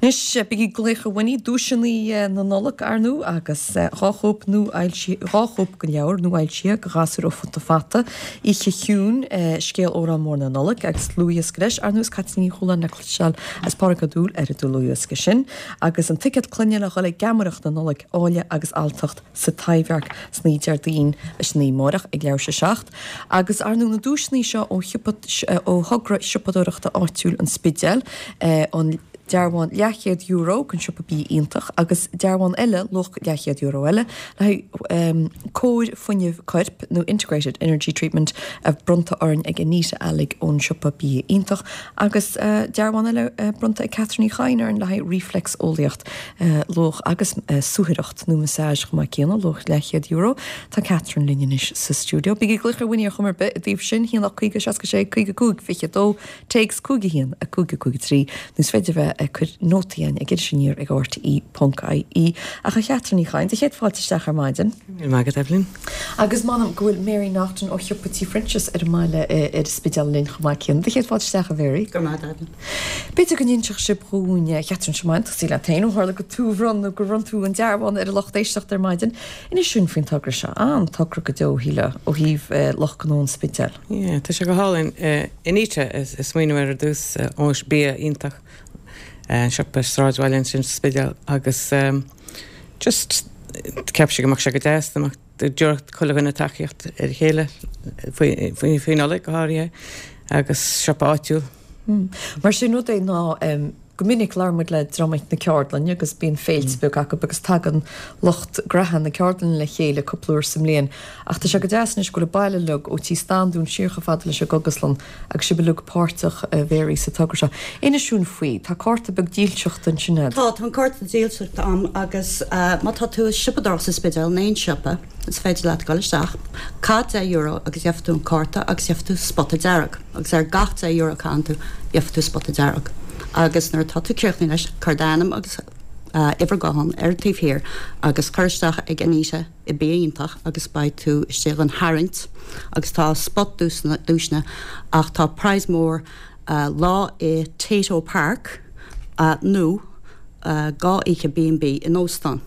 Anois, bígí ag glaoch a Winnie, duaiseanna na Nollag, ar ndú, agus 2 chóip nuafhoilsithe, 2 chóip den leabhar nuafhoilsithe do ghasúir ó Futa Fata, Oíche Chiúin, Scéal Órán Mór na Nollag, agus dlúthdhiosca leis, ar ndú, is Caitlín Ní Chualáin le cloisteáil agus Pádraig Ó Dúill ar an dlúthdhiosca sin, agus an ticéad clainne le dhul ag geamaireacht na Nollag, Áille agus Alltacht. sa Taibhdhearc san oíche Déardaoin leis an 9 amáireach ag leathuair tar éis a 7, agus ar ndú na duaiseanna seo ó shiopa ó thogra siopadóireachta áitiúil an Spidéil, an dearbhán leathchéad euro den siopa Bia Iontach agus dearbhán eile luach leathchéad euro eile le haghaidh cóir fuinnimh coirp nó Integrated Energy Treatment a bronnta orainn ag Anita Alig ón siopa Bia Iontach agus dearbhán eile bronnta ag Catherine Uí Chadhain orainn le haghaidh reflexeolaíocht. luach agus suathaireacht nó massage chomh maith céanna, luach leathchéad euro. Tá Catherine linn anois sa stiúideo. Bígí ag glaoch ar Winnie ar chuma ar bith i dtaobh sin, 1 8 50 66 55 22, téacs 5 1 5 5 3, nó is féidir bheith ag cur nótaí againn ag Iris Aniar ag rte ponc ie. Ach a Chatherine Uí Chadhain, do chéad fáilte isteach ar maidin. Go raibh maith agat, Evelyn. Agus m'anam go bhfuil Mary Naughton ó shiopa Tí Phroinsias ar an mbaile ar an Spidéal linn chomh maith céanna. Do chéad fáilte isteach, a Mhary. Go raibh maith agat, Evelyn. B'fhéidir go n-inseodh sibh dhúinn, a Chatherine, seo maith, tosaí leat féin, ó tharla gur tú a bhronn nó gur bhronn tú an dearbhán ar an lucht éisteachta ar maidin. Inis dúinn faoin togra seo. An-togra go deo, shílfeá, ó thaobh lucht gnó an Spidéil. Yeah, tá sé go hálainn. Anita a smaoinigh air ar dtús, ó Bia Iontach, an siopa sráidbhaile ansin sa Spidéal agus just cheap sí go mbeadh sé go deas dá mbeadh dtabharfadh chuile dhuine tacaíocht ar a chéile faoi Nollaig go háirithe agus siopa áitiúil. Mar sin rud é ná go minic labhrann muid le dream na ceardlainne agus bíonn féilte beaga acu agus tagann lucht graithe na ceardlainne le chéile cúpla uair sa mbliain ach tá sé go deas anois go bhfuil an baile uilig ó Tí Standún siar chomh fada leis an gCogaslann agus sibh uilig páirteach a Mhary sa togra seo. Inis dúinn faoi, tá cárta beag dílseachta ansin agat. Tá, tá an cárta dílseachta a'm agus má tá tú ag siopadóireacht sa Spidéal in aon siopa is féidir leat dul isteach, caith €10 agus gheobhaidh tú an cárta agus gheobhaidh tú spota dearg. Agus ar gach €10 a chaitheann tú, gheobhaidh tú spota dearg. Agus nuair atá tú críochnaithe leis, cuir d'ainm agus uimhir gutháin ar an taobh thiar agus cuir isteach ag Anita i Bia Iontach agus beidh tú istigh don tharraingt agus tá spot duaiseanna ach tá prize mór lá i Tayto Park nó 2 oíche B&B in óstán.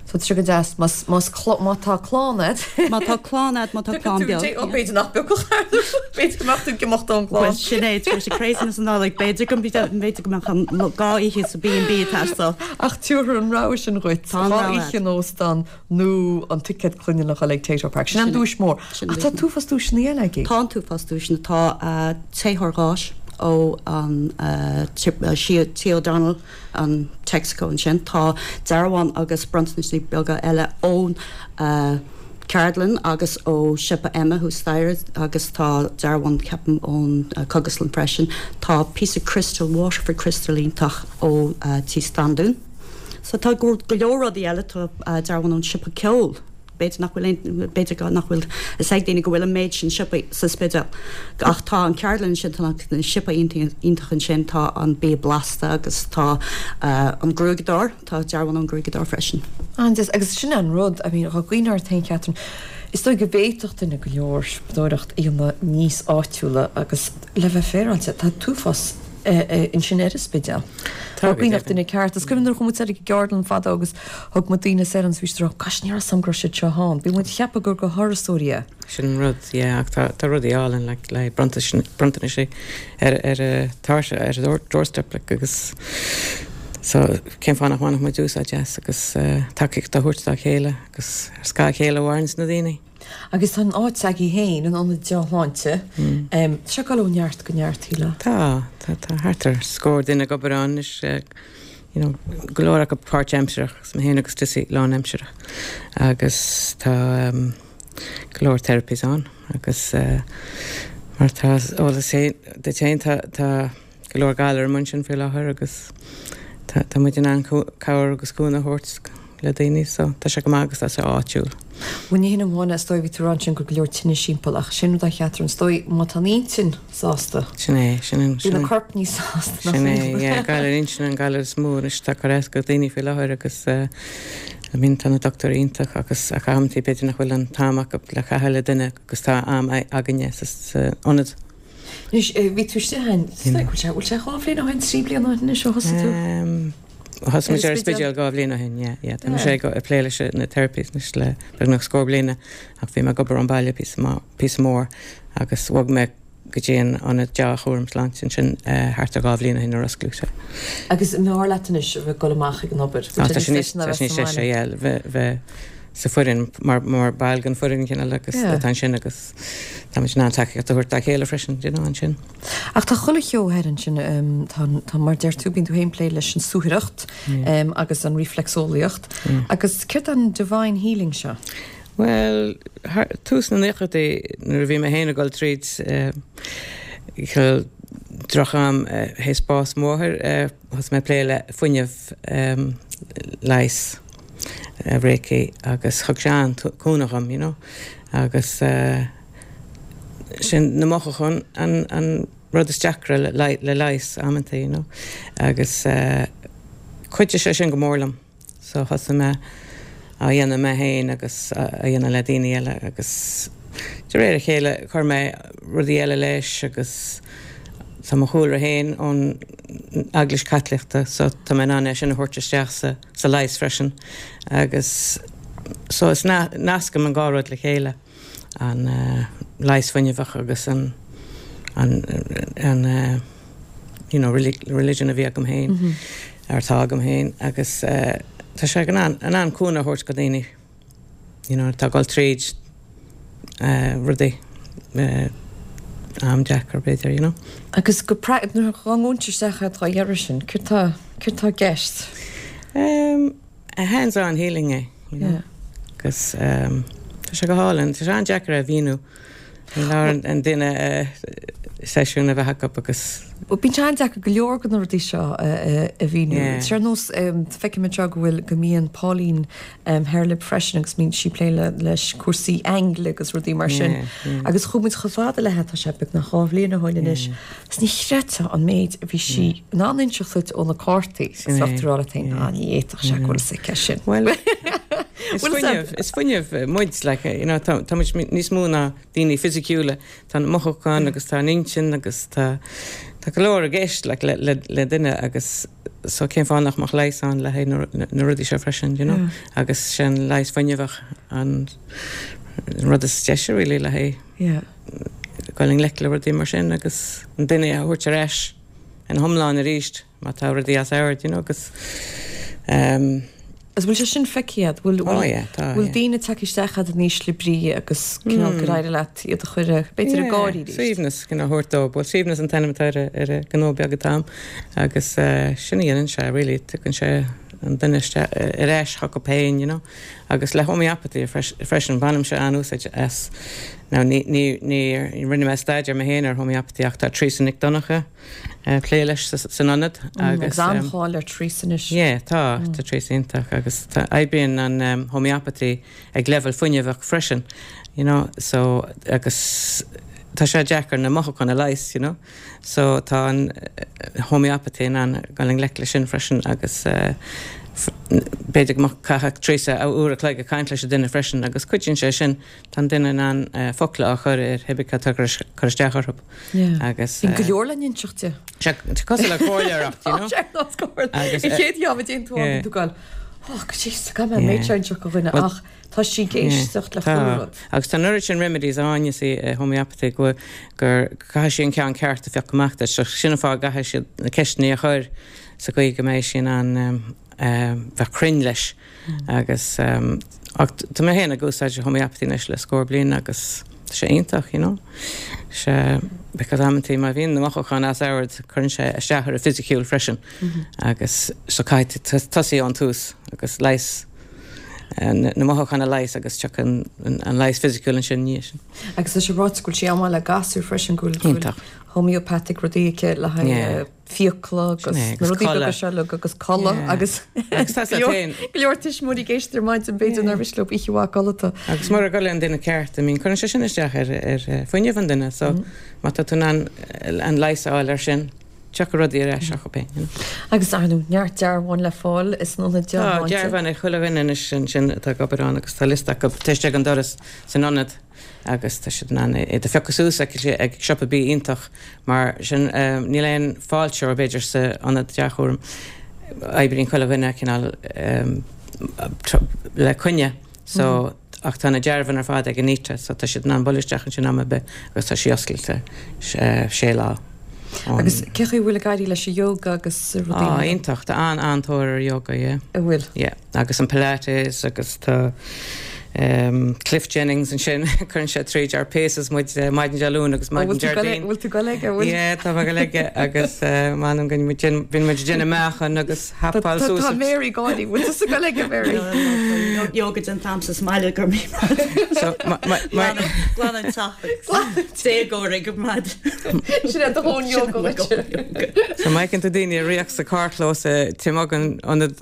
So tá sé go deas más más má tá clann a'd. Má tá clann a'd, má tá clann beag. Ó b'fhéidir nach bpiocfadh ar b'fhéidir go mbeadh tú ag imeacht ón gclann. Bhuel sin é, tar éis an craziness na Nollag, b'fhéidir go b'fhéidir go mbeadh an 2 oíche sa B&B ag teastáil. Ach tabharfar an rogha sin dhuit, Tá an 2 rogha oíche a'd. in óstán nó an ticéad clainne le dhul ag Tayto Park. Sin an duais mhór. Ach tá an t-uafás duaiseanna eile agaibh. Tá an t-uafás duaiseanna. Tá téitheoir gáis ó an Tí O'Donnell, an Texaco ansin. Tá dearbhán agus bronntanaisí beaga eile ón ceardlann agus ó Siopa Emma thuas staighre agus tá dearbhán ceapaim ón Cogaslann freisin. Tá píosa criostail, Waterford crystal iontach ó Tí Standún. So tá go leor rudaí eile, tá dearbhán ón siopa ceoil, b'fhéidir nach bhfuil aon, b'fhéidir nach bhfuil fhios ag daoine go bhfuil an méid sin siopaí sa Spidéal. Ach tá an ceardlann ansin, tá na siopaí iontach ansin, tá an bia blasta agus tá an gruaigeadóir, tá dearbhán ón gruaigeadóir freisin. An-deas, agus sin an rud, I mean, dá gcuimhneofá ort féin Catherine, is dóigh go bhféadfadh duine go leor siopadóireacht a dhéanamh níos áitiúla agus le bheith féaráilte, tá an t-uafás ansin ar an Spidéal. Tá cuimhneach duine ceart. Is cuimhin nuair a chuaigh muid soir ag an gceardlann fadó agus thug muid daoine soir ann is bhí siad ag rá, gosh ní raibh 'fhios a'm go raibh siad seo ann. Bhí muid ag ceapadh gur do thurasóirí é. Sin an rud, yeah, ach tá tá rudaí álainn like le bronntanais ar ar a tairse ar a doorstep like agus so cén fáth nach mbainfeadh muid úsáid as agus tacaíocht a thabhairt dá chéile agus ar scáth a chéile a mhaireanns na daoine. Agus tá an áit s'agaibh féin, an Ionad Dea-Shláinte, tá sé ag dul ó neart go neart, shílfeá. Tá, tá, tá thart ar scór duine ag obair ann anois, you know, go leor acu páirtaimsearach, agus mé féin agus Dessie lánaimsearach. Agus tá go leor therapies ann agus mar tá eolas duit féin, tá, tá, go leor galar amuigh ansin faoi láthair agus tá tá muid in ann cabhair agus cúnamh a thabhairt le daoine so tá sé go maith agus tá sé áitiúil. Bhuel ní hin amháin é, is dóigh, bhí tú ag rá ansin go raibh go leor tinnis timpeall ach sin rud a Chatherine, is dóigh má tá an intinn sásta, Sin é, sin an, bíonn an corp níos sásta nach Sin é, yeah, galar intinne an galar is mó anois atá ag cur as do dhaoine faoi láthair agus I mean tá na dochtúirí iontach agus ach amantaí b'fhéidir nach bhfuil an t-am acu le caitheamh le duine agus tá am againne sa ionad. Anois, bhí tú istigh ann, bhfuil sé, bhfuil sé 2 bhliain ó shin, 3 bliana ó shin anois ó thosaigh tú? Thosaigh muid ar an Spidéal 2 bhliain ó shin, yeah, yeah. Tá mise ag plé leis na therapies anois le beagnach scór bliana ach bhí mé ag obair ón baile píosa maith, píosa mór agus bhog mé go dtí an ionad dea-chúram sláinte ansin thart ar 2 bhliain ó shin nuair a osclaíodh sé. Agus an mb'fhearr leat anois a bheith ag dul amach ag an obair? Tá sé níos deise, yeah, bheith sa foireann mar mar ball den foireann cineál agus atá ansin agus táimid in ann tacaíocht a thabhairt dá chéile freisin, you know, ansin. Ach tá chuile cheo thoir ansin, tá, tá, mar deir tú, bíonn tú féin ag plé leis an suathaireacht agus an reflexeolaíocht agus céard é an divine healing seo? Bhuel, thar, tús na naochadaí nuair a bhí mé féin ag dul tríd cineál droch-am théis bás mo mháthair, thosaigh mé ag plé le fuinneamh leighis, Reiki, agus thug sé an-cúnamh dhom, you know. Agus sin na mothúcháin an an rud is deacra le le leigheas amanta, you know. Agus chuidigh sé sin go mór liom. So thosaigh mé á dhéanamh mé féin agus á dhéanamh le daoine eile agus de réir a chéile chuir mé rudaí eile leis agus tá mo chúlra féin ón Eaglais Chaitliceach so tá mé in ann é sin a thabhairt isteach sa sa leigheas freisin agus so is nascaim an dhá rud le chéile, an leigheas fuinneamhach agus an an an you know religion a bhí agam féin ar atá agam féin agus tá sé in ann in ann cúnamh a thabhairt go daoine you know atá ag dul tríd rudaí am deacair b'fhéidir you know. Agus go nuair a ghabhann isteach agat á iarraidh sin, céard tá céard tá i gceist? Um, hands on healing é, you know. Yeah. Agus um, tá sé go hálainn, tá sé an-deacair a mhíniú. Ní leor an duine seisiún a bheith acu agus. Bíonn sé an-deacair go leor de na rudaí seo a mhíniú. Ar nós feicim anseo go bhfuil go mbíonn Pauline thoir libh freisin agus mbíonn sí ag plé leis cúrsaí aingle agus rudaí mar sin. Agus chuaigh muid chomh fada léi, tá sé beagnach 2 bhliain ó shin anois, agus ní chreidfeá an méid a bhí sí in ann inseacht duit ó na cártaí agus bheadh tú ag rá leat féin, ah ní fhéadfadh sé go bhfuil fhios aici sin. Bhuel, is fuinneamh, is fuinneamh muid, like, you know, tá, tá muid níos mó ná daoine fisiciúla, tá na mothúcháin agus tá an intinn agus tá, tá go leor i gceist, like, le, le, le duine agus so cén fáth nach mbeadh leigheas ann le haghaidh na, na rudaí seo freisin, you know, agus sin leigheas fuinneamhach an rud is deise really le haghaidh Yeah. dul i ngleic le rudaí mar sin agus an duine a thabhairt ar ais ina hiomlán arís má tá rudaí as ord, you know, agus um, Agus bhfuil sé sin feicthe agat? Bhfuil, Oh yeah, tá, bhfuil yeah. daoine tagtha isteach agat in ísle brí agus cineál gur éirigh leat iad a chur, b'fhéidir ag gáirí arís? Suaimhneas cineál a thabhairt dóibh. Bhuel, suaimhneas an t-ainm atá ar a, ar an gnó beag atá agam agus eh, sin a dhéanann sé really, tugann sé an duine isteach ar ais chucu féin, you know. Agus le homeopathy freisin, bainimse an-úsáid as. Now ní, ní, ní rinne mé staidéar mé féin ar homeopathy ach tá Teresa Nic Donncha ag plé leis san ionad agus. Agus an-cháil ar Teresa anois. Yeah, tá, tá Teresa iontach agus tá, oibríonn an homeopathy ag leibhéal fuinneamhach freisin, you know, so agus tá sé deacair na mothúcháin a leigheas, you know. So tá an homeopathy in ann dul i ngleic leis sin freisin agus b'fhéidir go mbeadh caithfidh Teresa uair a chloig ag caint leis an duine freisin agus cuidíonn sé sin, tá an duine in ann focla a chur ar cibé cad atá ag cur isteach orthu agus. Bíonn go leor le n-inseacht di. Sé cosúil le comhairleoireacht, you know. Tá sé ar nós comhairle. An chéad cheann a dtéann tú ann bíonn tú ag goil, oh jeez, caithfidh mé an méid seo a inseacht do dhuine ach Tá sí ag éisteacht le chuile rud. Agus tá an oiread sin remedies ann, you see, i homeopathy go gur caithfidh sí an ceann ceart a phiocadh amach duit. So sin an fáth go gcaithfidh siad na ceisteanna a chur sa gcaoi go mbeidh sí in ann bheith cruinn leis. Agus ach tá mé féin ag úsáid homeopathy anois le scór bliain agus tá sé iontach, you know. Sé because amantaí má bhíonn na mothúcháin as ord cuireann sé isteach ar an fisiciúil freisin. Agus so caithfidh tú tosaí ón tús agus leigheas na mothúcháin a leigheas agus tiocfaidh an leigheas fisiciúil ansin ina dhiaidh sin. Agus tá sé ráite go bhfuil sí an-mhaith le gasúir freisin, go bhfuil Iontach. homeopathic rudaí aici le haghaidh fiacla agus Sin é, na agus rudaí beaga codladh. seo uilig agus codladh Yeah. agus Agus tá go leor- féin. go leor tuismitheoirí ag éisteacht ar maidin b'fhéidir nár mhiste leo oíche mhaith codlata. Agus mura gcodlaíonn an duine ceart, I mean, cuireann sé sin isteach ar, ar fuinneamh an duine, so má tá tú in ann an leigheas a fháil ar sin. Tiocfaidh rudaí ar ais acu féin, you know. Agus, ar ndóigh, neart dearbháin le fáil san ionad dea-shláinte. Tá dearbháin ag chuile dhuine anois ansin atá ag obair ann agus tá liosta acu taobh istigh den doras san ionad agus tá siad in ann iad a phiocadh suas ag ag siopa bídh iontach mar sin níl aon fáilteoir b'fhéidir sa ionad dea-chúraim. Oibríonn chuile dhuine cineál le coinne so ach tá na dearbháin ar fad ag Anita so tá siad in ann bualadh isteach ansin am ar bith agus tá sí oscailte sé lá ón. Agus cé chaoi a bhfuil ag éirí leis an yoga agus rudaí mar. Á, iontach, tá an-an-tóir ar yoga, yeah. An bhfuil? Yeah, agus an Pilates agus tá Cliff Jennings ansin, cuireann sé tríd ár paces muid maidin Dé Luain agus maidin Déardaoin. Bhfuil tú ag goil aige, bhfuil? Yeah, tá mé ag goil aige agus m'anam go bíonn muid ag déanamh meáchan agus hapáil suas. Tá Mary ag gáirí, bhfuil tusa ag goil aige, Mary? Yoga déanta a'msa sa mbaile go raibh míle maith. Glan an teach agus déagóir ag an maid. Sin é do thóin yoga dhuit. So má fheiceann tú daoine ag ritheacht sa carrchlós taobh amuigh den ionad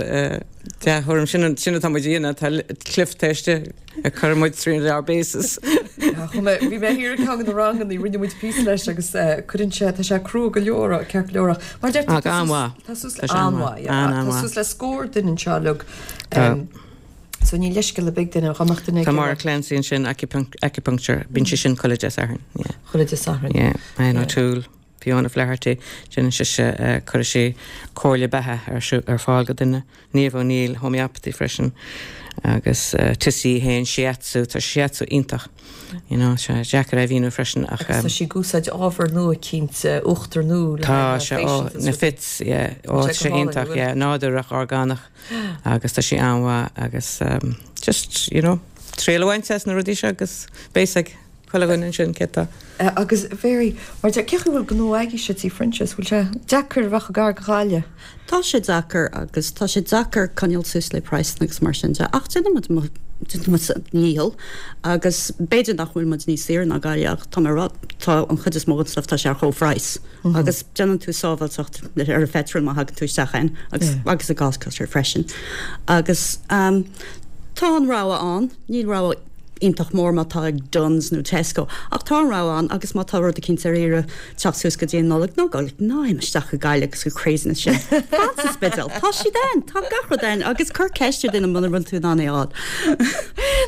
dea-chúraim, sin sin atá muid a dhéanamh, tá Cliff taobh istigh ag cur muid tríd ár bpaces. Chuaigh mé, bhí mé thiar ag ceann de na ranganna, rinne muid píosa leis agus cuireann sé, tá sé crua go leor, ceart go leor ach mar deir tú, Ach an-mhaith. tá suas le, an-mhaith, yeah, tá suas le scór duine anseo uilig. Tá. So ní leithscéal ar bith ag duine, dá mbeadh duine ag Tá Maura Clancy ansin, acupuncture, bíonn sí sin chuile Dé Sathairn, yeah. Chuile Dé Sathairn. Yeah, Ann O'Toole, Fiona Flaherty, déanann sise, cuireann sí comhairle beatha ar fáil go duine. Niamh O'Neill, homeopathy freisin, agus Tissy féin, shiatsu, tá shiatsu iontach, you know, sé deacair é a mhíniú freisin ach. Agus tá sí ag úsáid ábhar nua cinnte, uachtar nua le haghaidh na facials. Tá sé, ó, na fits, yeah, ó, tá sé iontach, yeah, nádúrach, orgánach agus tá sí an-mhaith agus just, you know, triail a bhaint as na rudaí seo agus beidh a fhios ag chuile dhuine ansin cé tá. Agus Mary, mar deir, cé chaoi bhfuil gnó agaibhse Tí Phroinsias, bhfuil sé deacair a bheith chomh gar do Ghaillimh? Tá sé deacair agus tá sé deacair coinneáil suas le praghsanna agus mar sin de ach déanaimid déanaimid ár ndícheall agus b'fhéidir nach bhfuil muid níos saoire ná Gaillimh ach tá mé ag rá tá an chuid is mó den stuff tá sé ar chomhphraghas agus déanann tú sábháilteacht ar an phetrol má thagann tú isteach ann agus agus i gcás costar freisin agus tá an rogha ann níl rogha iontach mór má tá ag Dunnes nó Tesco. Ach tá an rogha ann agus má tá rud eicínt ar iarraidh teacht suas go dtí an Nollaig, ná gabh, ná imigh isteach go Gaillimh agus go craziness sin. Fan sa Spidéal. Tá siad ann. Tá gach rud ann agus cuir ceist ar duine muna bhfuil tú in ann é a fháil.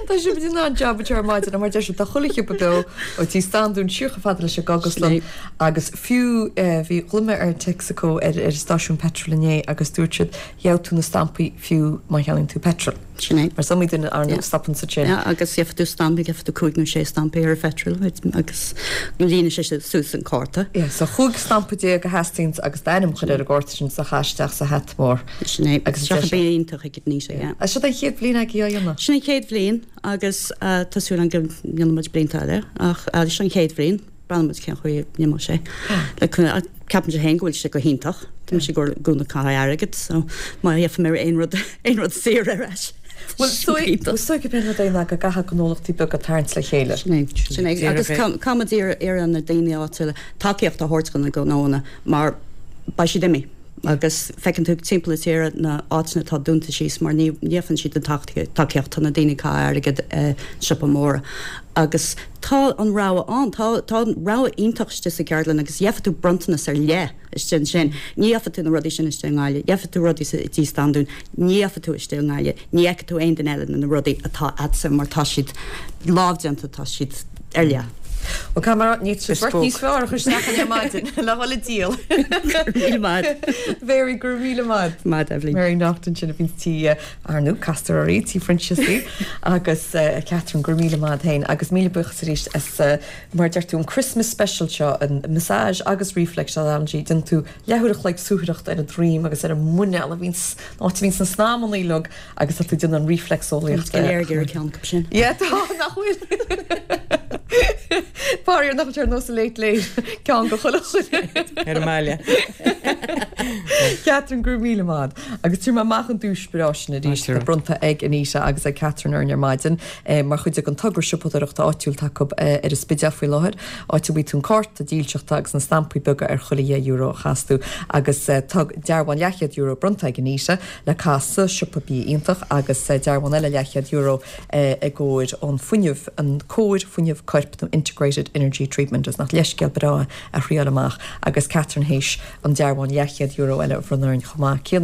Tá sibh in ann jab a ar maidin mar deir siad tá chuile shiopa beo ó Tí Standún siar chomh fada leis an gCógaslann agus fiú bhí ghlaoigh mé ar Texaco ar ar an stáisiún peitril inné agus dúirt siad gheobhaidh tú na stampaí fiú má cheannaíonn tú peitreal. Sin é. Mar is iomaí duine ar ndóigh a stopann ansin. Yeah, agus gheobhaidh tú stampa, gheobhaidh tú cúig nó sé stampa ar an phetrol agus líonann sé suas an cárta. Yeah, so 15 stampa a theastaíonns agus d'ainm a chur ar an gcárta sin is a chaith isteach sa hata mór. Sin é. Agus seo bíonn iontach ag Anita, yeah. Is seo an chéad bhliain agaibh á dhéanamh? Sin an chéad bhliain agus tá súil agam go ndéanfaidh muid blianta eile ach seo an chéad bhliain. Breathnóidh muid cén chaoi a n-imeoidh sé. Ceapaimse féin go bhfuil sé go hiontach. Tá mise i gcónaí ag caitheamh airgid so má gheobhaidh mé aon rud aon rud saor ar ais. Bhuel is dóigh gurb é an rud é ná go gcaithfidh gnólachtaí beaga tarraingt le chéile. Sin é. Sin é. Agus caithfimid iarraidh ar na daoine áitiúla tacaíocht a thabhairt do na gnóanna mar beidh siad imithe. Agus feiceann tú timpeall na tíre na áiteanna atá dúnta síos mar ní gheobhann siad an tacaíocht, tá na daoine ag caitheamh airgid i siopa móra. Agus tá an rogha ann, tá tá rogha iontach istigh sa gceardlann agus gheobhaidh tú bronntanas ar leith istigh ansin. Ní gheobhaidh tú na rudaí sin istigh i nGaillimh, gheobhaidh tú rudaí i dTí Standún, ní gheobhaidh tú istigh i nGaillimh, ní fheicfidh tú aon duine eile na rudaí atá a'dsa mar tá siad lámhdéanta, tá siad ar leith. Bhuel, caithfidh mé a rá, níl sibh beirt níos fearr a chur isteach ar maidin le dhul ag díol. Go raibh míle maith. Mary, go raibh míle maith. Maith, Eibhlín. Mary Naughton sin a bhíonn tí, ar ndóigh, castar uirthi, Tí Phroinsias í, agus Catherine, go raibh míle maith féin, agus míle buíochas arís as, mar a deir tú, an Christmas special seo, an massage agus reflexology, déanann tú leathuair a chloig suathaireachta ar an droim agus ar an muineál a bhíonns, an áit a bhíonns na snaidhmeanna uilig Agus tá tú ag déanamh an reflexeolaíocht. Tá muid go léir ag iarraidh ceann acu sin. Yeah, tá, nach bhfuil? Faraor nach bhfuil sé ar nós an Late Late, ceann go chuile dhuine. Ar an mbaile. Catherine, go raibh míle maith. Agus tabharfaidh mé amach an duais breá sin arís, atá bronnta ag Anita agus ag Catherine orainn ar maidin, mar chuid den togra siopadóireachta áitiúil atá acu ar an Spidéal faoi láthair, áit a bhfaighidh tú an cárta dílseachta agus na stampaí beaga ar chuile €10 a chaitheas tú. Agus tá dearbhán leathchéad euro bronnta ag Anita. le caitheamh sa siopa bia iontach agus dearbhán eile leathchéad euro i gcomhair an fuinneamh, an cóir fuinneamh coirp nó integrated. Integrated Energy Treatment agus nach leithscéal breá é a thriáil amach agus Catherine théis an dearbhán leathchéad euro eile a bhronnadh orainn chomh maith céanna.